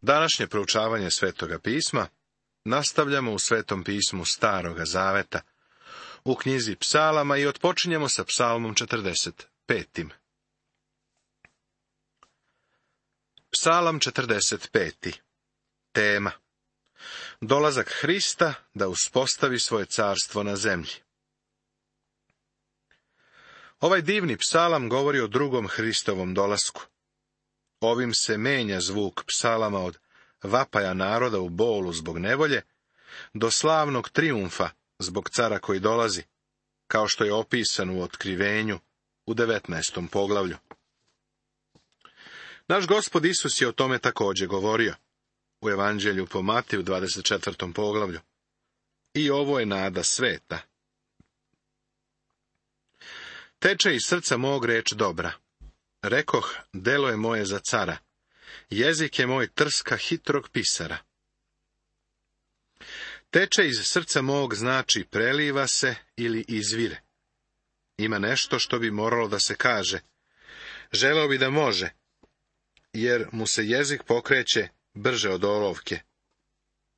Današnje proučavanje Svetoga pisma nastavljamo u Svetom pismu Staroga zaveta, u knjizi Psalama i otpočinjemo sa Psalmom 45. Psalam 45. Tema: dolazak Hrista da uspostavi svoje carstvo na zemlji. Ovaj divni psalam govori o drugom Hristovom dolasku. Ovim se menja zvuk psalama od vapaja naroda u bolu zbog nevolje do slavnog trijumfa zbog cara koji dolazi, kao što je opisan u Otkrivenju u 19. poglavlju. Naš Gospod Isus je o tome također govorio u Evanđelju po Matiju 24. poglavlju. I ovo je nada sveta. Teče iz srca mog reč dobra. Rekoh, delo je moje za cara. Jezik je moj trska hitrog pisara. Teče iz srca mog znači preliva se ili izvire. Ima nešto što bi moralo da se kaže. Želeo bi da može, jer mu se jezik pokreće brže od olovke.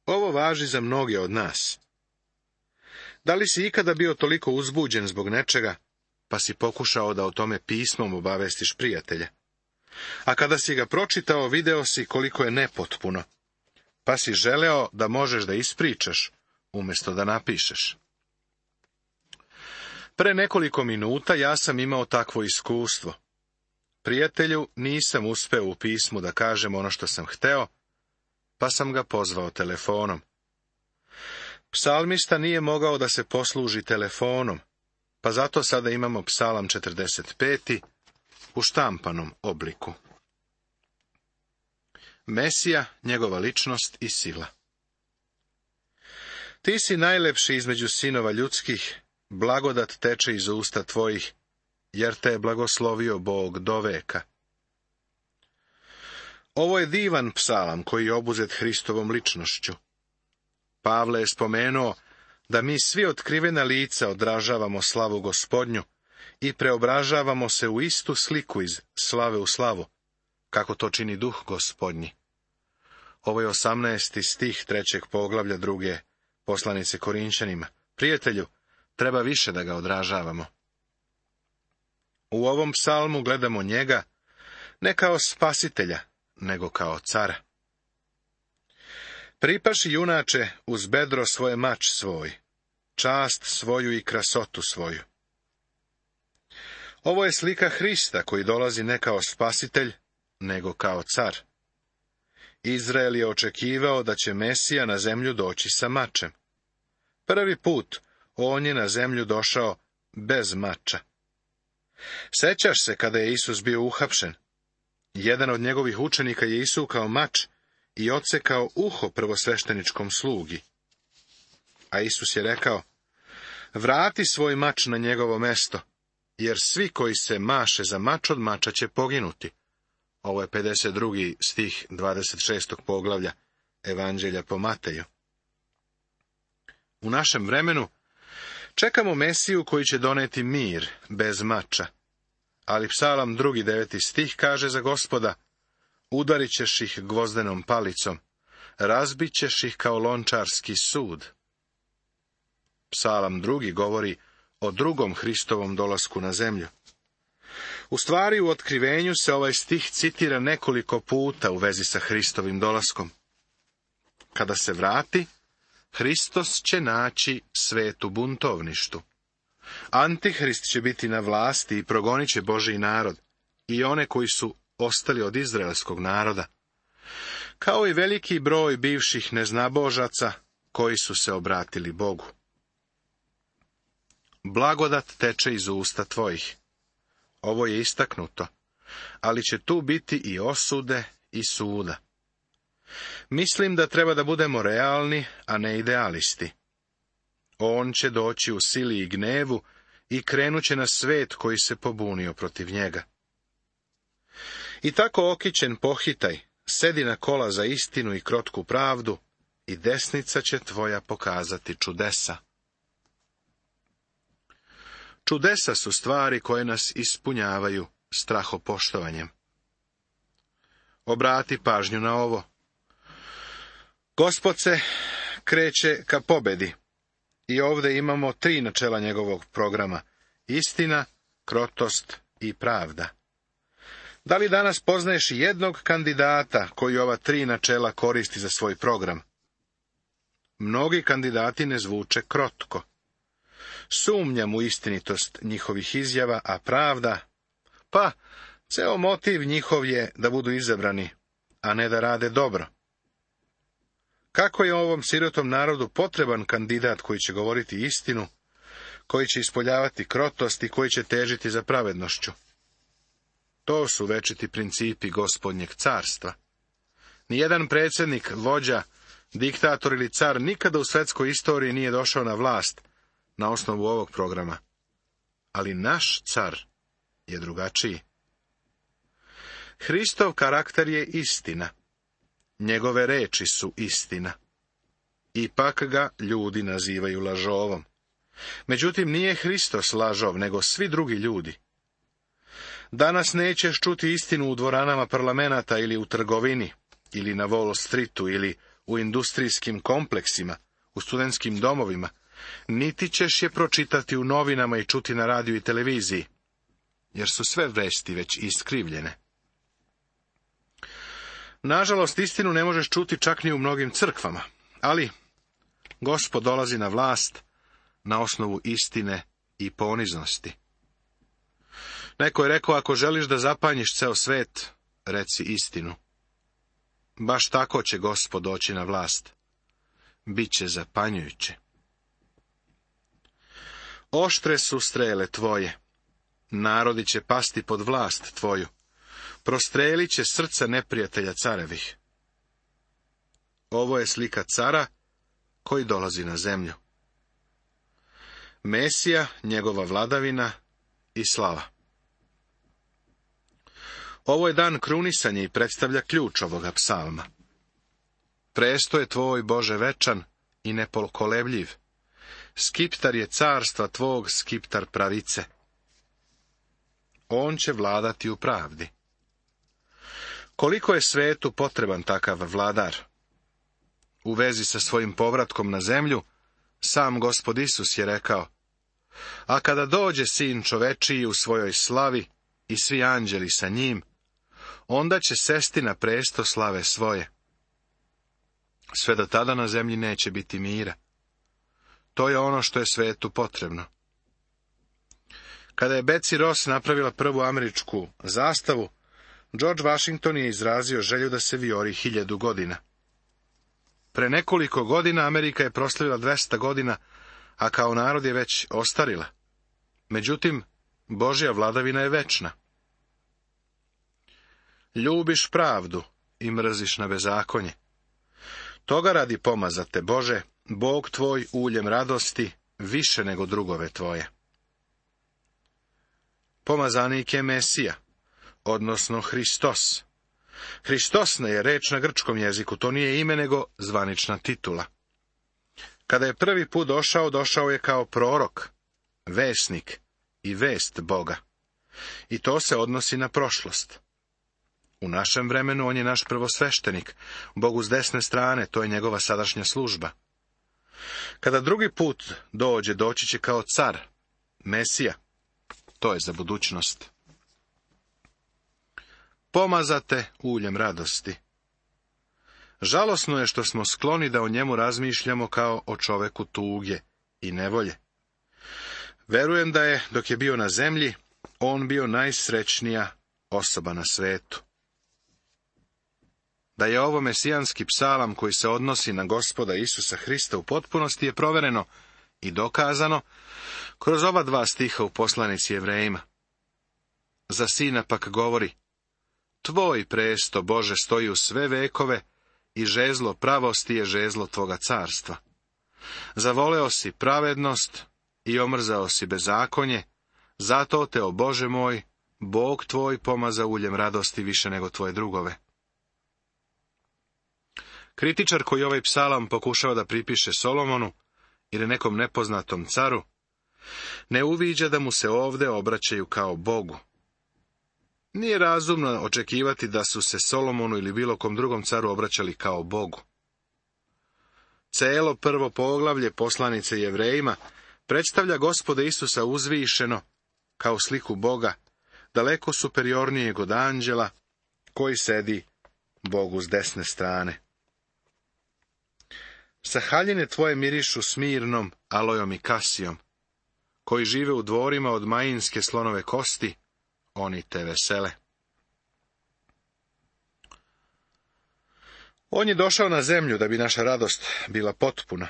Ovo važi za mnoge od nas. Da li si ikada bio toliko uzbuđen zbog nečega, pa si pokušao da o tome pismom obavestiš prijatelja? A kada si ga pročitao, video si koliko je nepotpuno, pa si želeo da možeš da ispričaš, umjesto da napišeš. Pre nekoliko minuta ja sam imao takvo iskustvo. Prijatelju nisam uspeo u pismu da kažem ono što sam hteo, pa sam ga pozvao telefonom. Psalmista nije mogao da se posluži telefonom, pa zato sada imamo Psalam 45. u štampanom obliku. Mesija, njegova ličnost i sila. Ti si najlepši između sinova ljudskih, blagodat teče iz usta tvojih, jer te je blagoslovio Bog do veka. Ovo je divan psalam koji je obuzet Hristovom ličnošću. Pavle je spomenuo da mi svi otkrivena lica odražavamo slavu Gospodnju i preobražavamo se u istu sliku iz slave u slavu, kako to čini Duh Gospodnji. Ovo je 18. stih 3. poglavlja 2. poslanice Korinćanima. Prijatelju, treba više da ga odražavamo. U ovom psalmu gledamo njega ne kao spasitelja, nego kao cara. Pripaši, junače, uz bedro svoje mač svoj, čast svoju i krasotu svoju. Ovo je slika Hrista koji dolazi ne kao spasitelj, nego kao car. Izrael je očekivao da će Mesija na zemlju doći sa mačem. Prvi put on je na zemlju došao bez mača. Sećaš se kada je Isus bio uhapšen? Jedan od njegovih učenika je isukao mač i odsekao uho prvosvešteničkom slugi. A Isus je rekao, vrati svoj mač na njegovo mesto, jer svi koji se maše za mač od mača će poginuti. Ovo je 52. stih 26. poglavlja Evanđelja po Mateju. U našem vremenu čekamo Mesiju koji će doneti mir bez mača, ali Psalam 2. 9. stih kaže za Gospoda, udarit ćeš ih gvozdenom palicom, razbit ćeš ih kao lončarski sud. Psalam 2. govori o drugom Hristovom dolasku na zemlju. U stvari, u Otkrivenju se ovaj stih citira nekoliko puta u vezi sa Hristovim dolaskom. Kada se vrati, Hristos će naći svet u buntovništu. Antihrist će biti na vlasti i progonit će Božji narod i one koji su ostali od izraelskog naroda, kao i veliki broj bivših neznabožaca koji su se obratili Bogu. Blagodat teče iz usta tvojih. Ovo je istaknuto, ali će tu biti i osude i suda. Mislim da treba da budemo realni, a ne idealisti. On će doći u sili i gnevu i krenuće na svet koji se pobunio protiv njega. I tako okićen pohitaj, sedi na kola za istinu i krotku pravdu, i desnica će tvoja pokazati čudesa. Čudesa su stvari koje nas ispunjavaju strahopoštovanjem. Obrati pažnju na ovo. Gospod se kreće ka pobedi i ovdje imamo 3 načela njegovog programa: istina, krotost i pravda. Da li danas poznaješ jednog kandidata koji ova 3 načela koristi za svoj program? Mnogi kandidati ne zvuče krotko. Sumnjam u istinitost njihovih izjava, a pravda, pa ceo motiv njihov je da budu izabrani, a ne da rade dobro. Kako je ovom sirotom narodu potreban kandidat koji će govoriti istinu, koji će ispoljavati krotost i koji će težiti za pravednošću? To su večiti principi Gospodnjeg carstva. Nijedan predsjednik, vođa, diktator ili car nikada u svetskoj istoriji nije došao na vlast na osnovu ovog programa. Ali naš car je drugačiji. Hristov karakter je istina. Njegove reči su istina. Ipak ga ljudi nazivaju lažovom. Međutim, nije Hristos lažov, nego svi drugi ljudi. Danas nećeš čuti istinu u dvoranama parlamenata ili u trgovini, ili na Wall Streetu, ili u industrijskim kompleksima, u studentskim domovima, niti ćeš je pročitati u novinama i čuti na radiju i televiziji, jer su sve vesti već iskrivljene. Nažalost, istinu ne možeš čuti čak ni u mnogim crkvama, ali Gospod dolazi na vlast na osnovu istine i poniznosti. Neko je rekao, ako želiš da zapanjiš ceo svet, reci istinu. Baš tako će Gospod doći na vlast. Biće zapanjujuće. Oštre su strele tvoje. Narodi će pasti pod vlast tvoju. Prostrelit će srca neprijatelja carevih. Ovo je slika cara koji dolazi na zemlju. Mesija, njegova vladavina i slava. Ovo je dan krunisanja i predstavlja ključ ovoga psalma. Presto je tvoj, Bože, večan i nepokolebljiv. Skiptar je carstva tvog, skiptar pravice. On će vladati u pravdi. Koliko je svetu potreban takav vladar? U vezi sa svojim povratkom na zemlju, sam Gospod Isus je rekao: a kada dođe Sin čovečiji u svojoj slavi i svi anđeli sa njim, onda će sesti na presto slave svoje. Sve do tada na zemlji neće biti mira. To je ono što je svetu potrebno. Kada je Betsy Ross napravila prvu američku zastavu, George Washington je izrazio želju da se vijori 1000 godina. Pre nekoliko godina Amerika je proslavila 200 godina, a kao narod je već ostarila. Međutim, Božja vladavina je večna. Ljubiš pravdu i mrziš na bezakonje. Toga radi pomazate, Bože, Bog tvoj uljem radosti, više nego drugove tvoje. Pomazanik je Mesija, odnosno Hristos. Hristos je reč na grčkom jeziku, to nije ime nego zvanična titula. Kada je prvi put došao je kao prorok, vesnik i vest Boga. I to se odnosi na prošlost. U našem vremenu on je naš prvosveštenik, Bogu s desne strane, to je njegova sadašnja služba. Kada drugi put doći će kao car, Mesija, to je za budućnost. Pomazate uljem radosti. Žalosno je što smo skloni da o njemu razmišljamo kao o čoveku tuge i nevolje. Verujem da je, dok je bio na zemlji, on bio najsrećnija osoba na svetu. Da je ovo mesijanski psalam koji se odnosi na Gospoda Isusa Hrista u potpunosti je provereno i dokazano kroz ova 2 stiha u poslanici Jevrejima. Za Sina pak govori: tvoj presto, Bože, stoji u sve vekove i žezlo pravosti je žezlo tvoga carstva. Zavoleo si pravednost i omrzao si bezakonje, zato te, o Bože moj, Bog tvoj pomaza uljem radosti više nego tvoje drugove. Kritičar koji ovaj psalam pokušava da pripiše Solomonu ili nekom nepoznatom caru, ne uviđa da mu se ovde obraćaju kao Bogu. Nije razumno očekivati da su se Solomonu ili bilo kom drugom caru obraćali kao Bogu. Celo prvo poglavlje poslanice Jevrejima predstavlja Gospoda Isusa uzvišeno, kao sliku Boga, daleko superiornijeg od anđela, koji sedi Bogu s desne strane. Sa haljine tvoje mirišu smirnom, alojom i kasijom, koji žive u dvorima od majinske slonove kosti, oni te vesele. On je došao na zemlju da bi naša radost bila potpuna,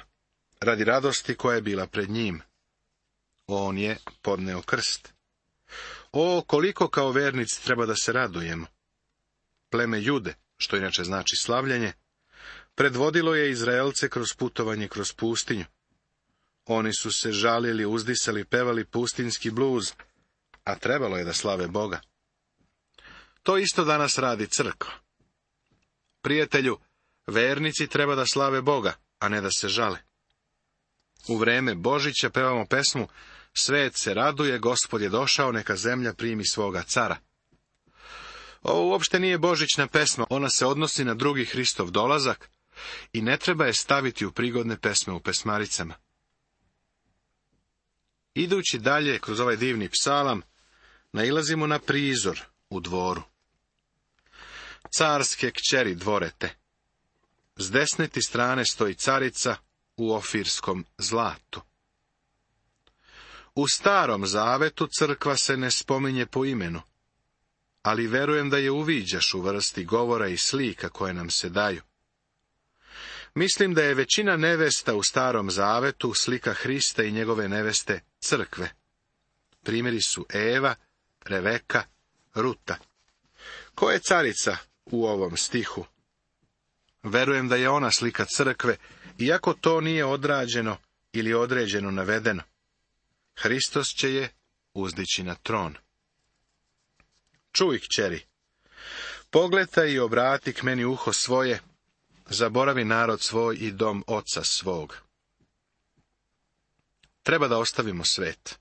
radi radosti koja je bila pred njim. On je podneo krst. O, koliko kao vernici treba da se radujemo! Pleme Jude, što inače znači slavljenje, predvodilo je Izraelce kroz putovanje kroz pustinju. Oni su se žalili, uzdisali, pevali pustinjski bluz, a trebalo je da slave Boga. To isto danas radi crkva. Prijatelju, vernici treba da slave Boga, a ne da se žale. U vreme Božića pevamo pesmu Svet se raduje, Gospod je došao, neka zemlja primi svoga cara. Ovo uopšte nije božićna pesma, ona se odnosi na drugi Hristov dolazak i ne treba je staviti u prigodne pesme u pesmaricama. Idući dalje kroz ovaj divni psalam, nailazimo na prizor u dvoru. Carske kćeri dvorete. S desne ti strane stoji carica u ofirskom zlatu. U Starom Zavetu crkva se ne spominje po imenu, ali verujem da je uviđaš u vrsti govora i slika koje nam se daju. Mislim da je većina nevesta u Starom Zavetu slika Hrista i njegove neveste crkve. Primjeri su Eva, Reveka, Ruta. Ko je carica u ovom stihu? Verujem da je ona slika crkve, iako to nije odrađeno ili određeno navedeno. Hristos će je uzdići na tron. Čuj, kćeri, pogledaj i obrati k meni uho svoje, zaboravi narod svoj i dom oca svog. Treba da ostavimo svet.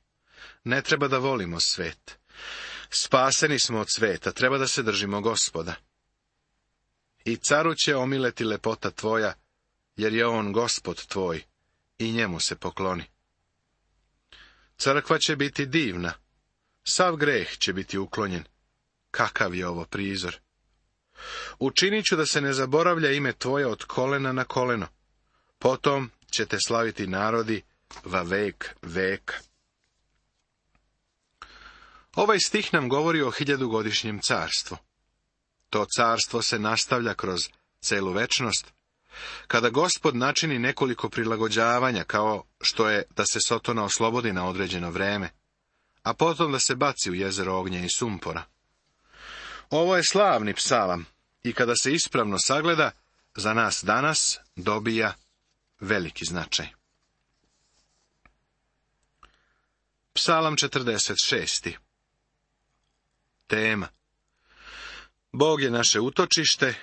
Ne treba da volimo svet. Spaseni smo od sveta, treba da se držimo Gospoda. I caru će omileti lepota tvoja, jer je on Gospod tvoj, i njemu se pokloni. Crkva će biti divna, sav greh će biti uklonjen. Kakav je ovo prizor! Učinit ću da se ne zaboravlja ime tvoje od kolena na koleno. Potom će te slaviti narodi va vek veka. Ovaj stih nam govori o 1000-godišnjem carstvu. To carstvo se nastavlja kroz celu večnost, kada Gospod načini nekoliko prilagođavanja, kao što je da se Sotona oslobodi na određeno vreme, a potom da se baci u jezero ognja i sumpora. Ovo je slavni psalam i kada se ispravno sagleda, za nas danas dobija veliki značaj. Psalam 46. Tema: Bog je naše utočište,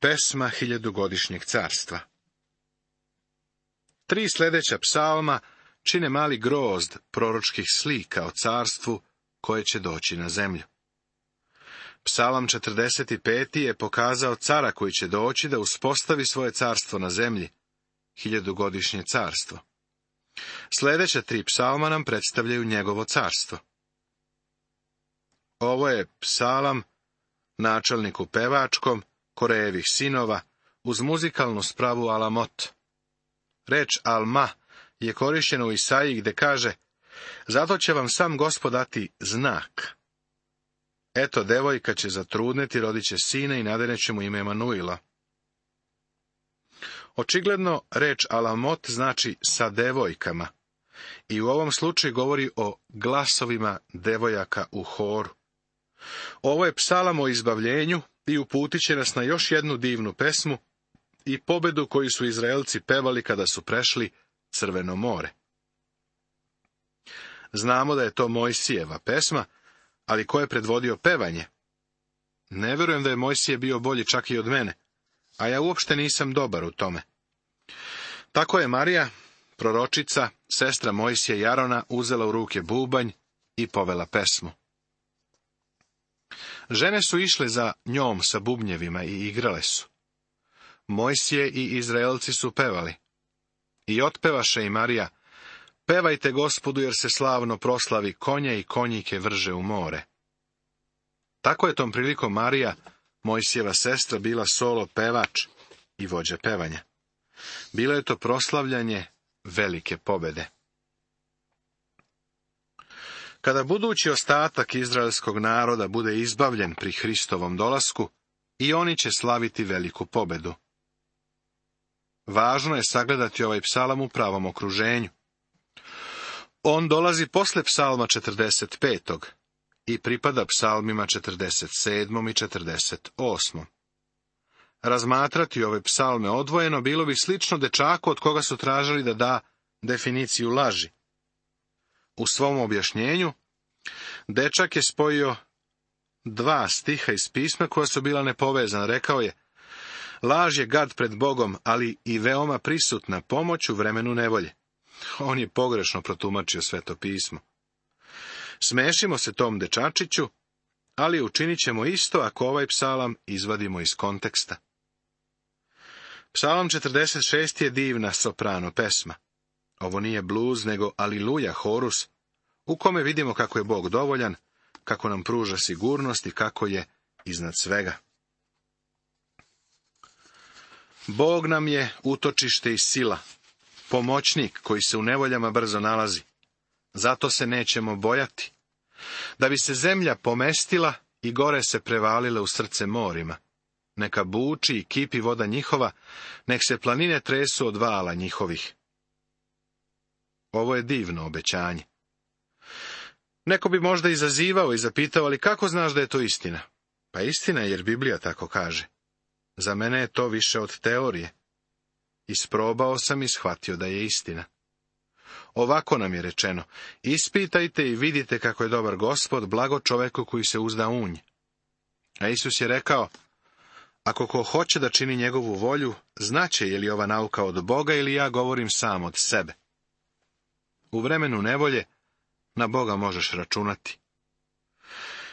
pesma 1000-godišnjeg carstva. 3 sljedeća psalma čine mali grozd proročkih slika o carstvu koje će doći na zemlju. Psalam 45. je pokazao cara koji će doći da uspostavi svoje carstvo na zemlji, 1000-godišnje carstvo. Sljedeća 3 psalma nam predstavljaju njegovo carstvo. Ovo je psalam načelniku pevačkom, Korejevih sinova, uz muzikalnu spravu alamot. Reč alma je korištena u Isaiji gde kaže: zato će vam sam Gospod dati znak. Eto, devojka će zatrudneti, rodit će sina i nadeneće mu ime Emanuila. Očigledno reč alamot znači sa devojkama i u ovom slučaju govori o glasovima devojaka u horu. Ovo je psalam o izbavljenju i uputit će nas na još jednu divnu pesmu i pobedu koju su Izraelci pevali kada su prešli Crveno more. Znamo da je to Mojsijeva pesma, ali ko je predvodio pevanje? Ne vjerujem da je Mojsije bio bolji čak i od mene, a ja uopšte nisam dobar u tome. Tako je Marija, proročica, sestra Mojsije i Arona, uzela u ruke bubanj i povela pesmu. Žene su išle za njom sa bubnjevima i igrale su. Mojsije i Izraelci su pevali. I otpevaše i Marija: pevajte Gospodu, jer se slavno proslavi, konje i konjike vrže u more. Tako je tom prilikom Marija, Mojsijeva sestra, bila solo pevač i vođa pevanja. Bilo je to proslavljanje velike pobede. Kada budući ostatak izraelskog naroda bude izbavljen pri Hristovom dolasku, i oni će slaviti veliku pobedu. Važno je sagledati ovaj psalam u pravom okruženju. On dolazi posle psalma 45. i pripada psalmima 47. i 48. Razmatrati ove psalme odvojeno bilo bi slično dečaku od koga su tražili da da definiciju laži. U svom objašnjenju, dečak je spojio dva stiha iz pisma koja su bila nepovezana. Rekao je: laž je gad pred Bogom, ali i veoma prisutna pomoć u vremenu nevolje. On je pogrešno protumačio Sveto pismo. Smešimo se tom dečačiću, ali učinit ćemo isto ako ovaj psalam izvadimo iz konteksta. Psalam 46 je divna soprano pesma. Ovo nije bluz, nego aliluja horus, u kome vidimo kako je Bog dovoljan, kako nam pruža sigurnost i kako je iznad svega. Bog nam je utočište i sila, pomoćnik koji se u nevoljama brzo nalazi. Zato se nećemo bojati. Da bi se zemlja pomestila i gore se prevalile u srce morima. Neka buči i kipi voda njihova, nek se planine tresu od vala njihovih. Ovo je divno obećanje. Neko bi možda izazivao i zapitao: ali kako znaš da je to istina? Pa istina je, jer Biblija tako kaže. Za mene je to više od teorije. Isprobao sam i shvatio da je istina. Ovako nam je rečeno: ispitajte i vidite kako je dobar Gospod, blago čoveku koji se uzda u nj. A Isus je rekao: ako ko hoće da čini njegovu volju, znaće je li ova nauka od Boga ili ja govorim sam od sebe. U vremenu nevolje na Boga možeš računati.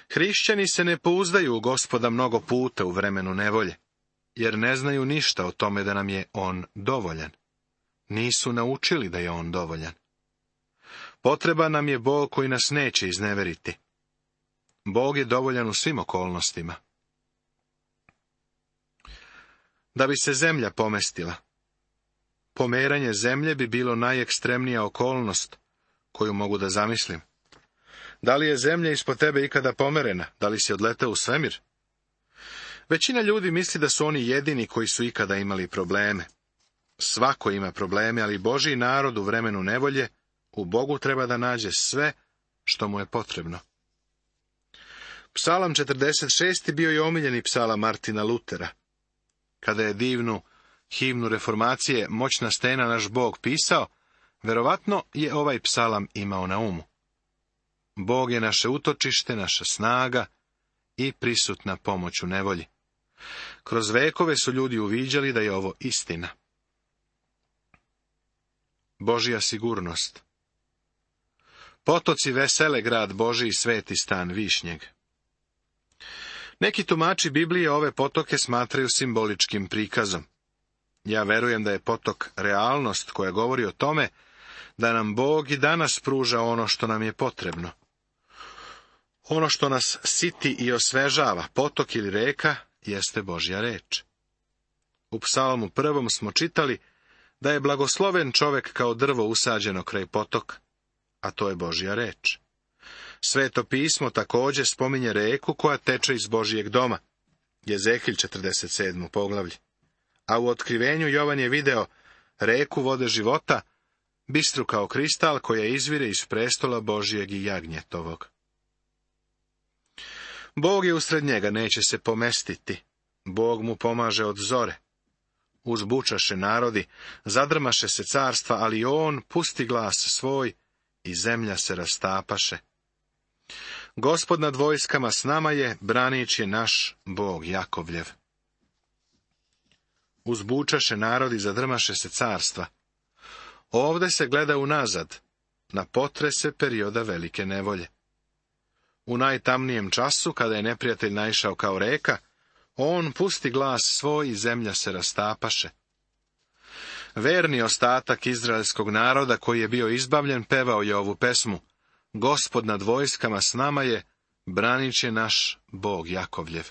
Hrišćani se ne pouzdaju u Gospoda mnogo puta u vremenu nevolje, jer ne znaju ništa o tome da nam je on dovoljan. Nisu naučili da je on dovoljan. Potreban nam je Bog koji nas neće izneveriti. Bog je dovoljan u svim okolnostima. Da bi se zemlja pomestila. Pomeranje zemlje bi bilo najekstremnija okolnost koju mogu da zamislim. Da li je zemlja ispod tebe ikada pomerena? Da li si odleteo u svemir? Većina ljudi misli da su oni jedini koji su ikada imali probleme. Svako ima probleme, ali Božji narod u vremenu nevolje u Bogu treba da nađe sve što mu je potrebno. Psalam 46. bio je omiljeni psalam Martina Lutera. Kada je divnu himnu reformacije Moćna stena naš Bog pisao, verovatno je ovaj psalam imao na umu. Bog je naše utočište, naša snaga i prisutna pomoć u nevolji. Kroz vekove su ljudi uviđali da je ovo istina. Božja sigurnost. Potoci vesele grad Božji i sveti stan Višnjeg. Neki tumači Biblije ove potoke smatraju simboličkim prikazom. Ja verujem da je potok realnost koja govori o tome da nam Bog i danas pruža ono što nam je potrebno. Ono što nas siti i osvežava, potok ili reka, jeste Božja reč. U psalmu 1. smo čitali da je blagosloven čovek kao drvo usađeno kraj potoka, a to je Božja reč. Sveto pismo također spominje reku koja teče iz Božijeg doma, Jezehilj 47. poglavlje. A u otkrivenju Jovan je video reku vode života, bistru kao kristal, koja izvire iz prestola Božijeg i jagnjetovog. Bog je usred njega, neće se pomestiti. Bog mu pomaže od zore. Uzbučaše narodi, zadrmaše se carstva, ali on pusti glas svoj i zemlja se rastapaše. Gospod nad vojskama s nama je, branič je naš Bog Jakovljev. Uzbučaše narodi, zadrmaše se carstva. Ovde se gleda unazad, na potrese perioda velike nevolje. U najtamnijem času, kada je neprijatelj naišao kao reka, on pusti glas svoj i zemlja se rastapaše. Verni ostatak izraelskog naroda koji je bio izbavljen pevao je ovu pesmu: Gospod nad vojskama s nama je, branit će naš Bog Jakovljev.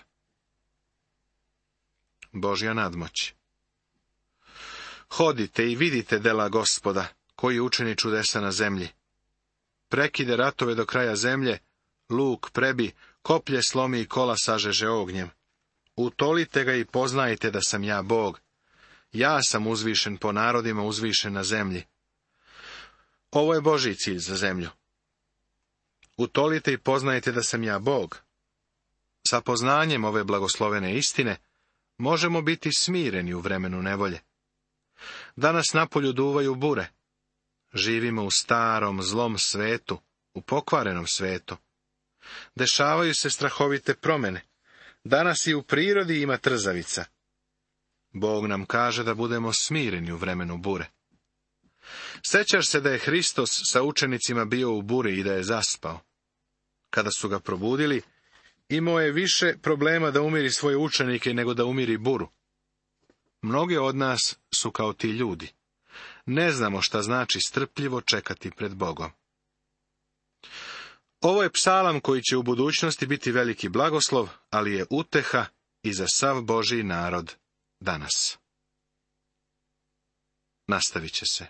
Božja nadmoć. Hodite i vidite dela Gospoda, koji učini čudesa na zemlji. Prekide ratove do kraja zemlje, luk prebi, koplje slomi i kola sažeže ognjem. Utolite ga i poznajte da sam ja Bog. Ja sam uzvišen po narodima, uzvišen na zemlji. Ovo je Božji cilj za zemlju. Utolite i poznajte da sam ja Bog. Sa poznanjem ove blagoslovene istine možemo biti smireni u vremenu nevolje. Danas napolju duvaju bure. Živimo u starom, zlom svetu, u pokvarenom svetu. Dešavaju se strahovite promjene. Danas i u prirodi ima trzavica. Bog nam kaže da budemo smireni u vremenu bure. Sjećaš se da je Hristos sa učenicima bio u buri i da je zaspao. Kada su ga probudili, imao je više problema da umiri svoje učenike nego da umiri buru. Mnogi od nas su kao ti ljudi. Ne znamo šta znači strpljivo čekati pred Bogom. Ovo je psalam koji će u budućnosti biti veliki blagoslov, ali je uteha i za sav Božji narod danas. Nastavit će se.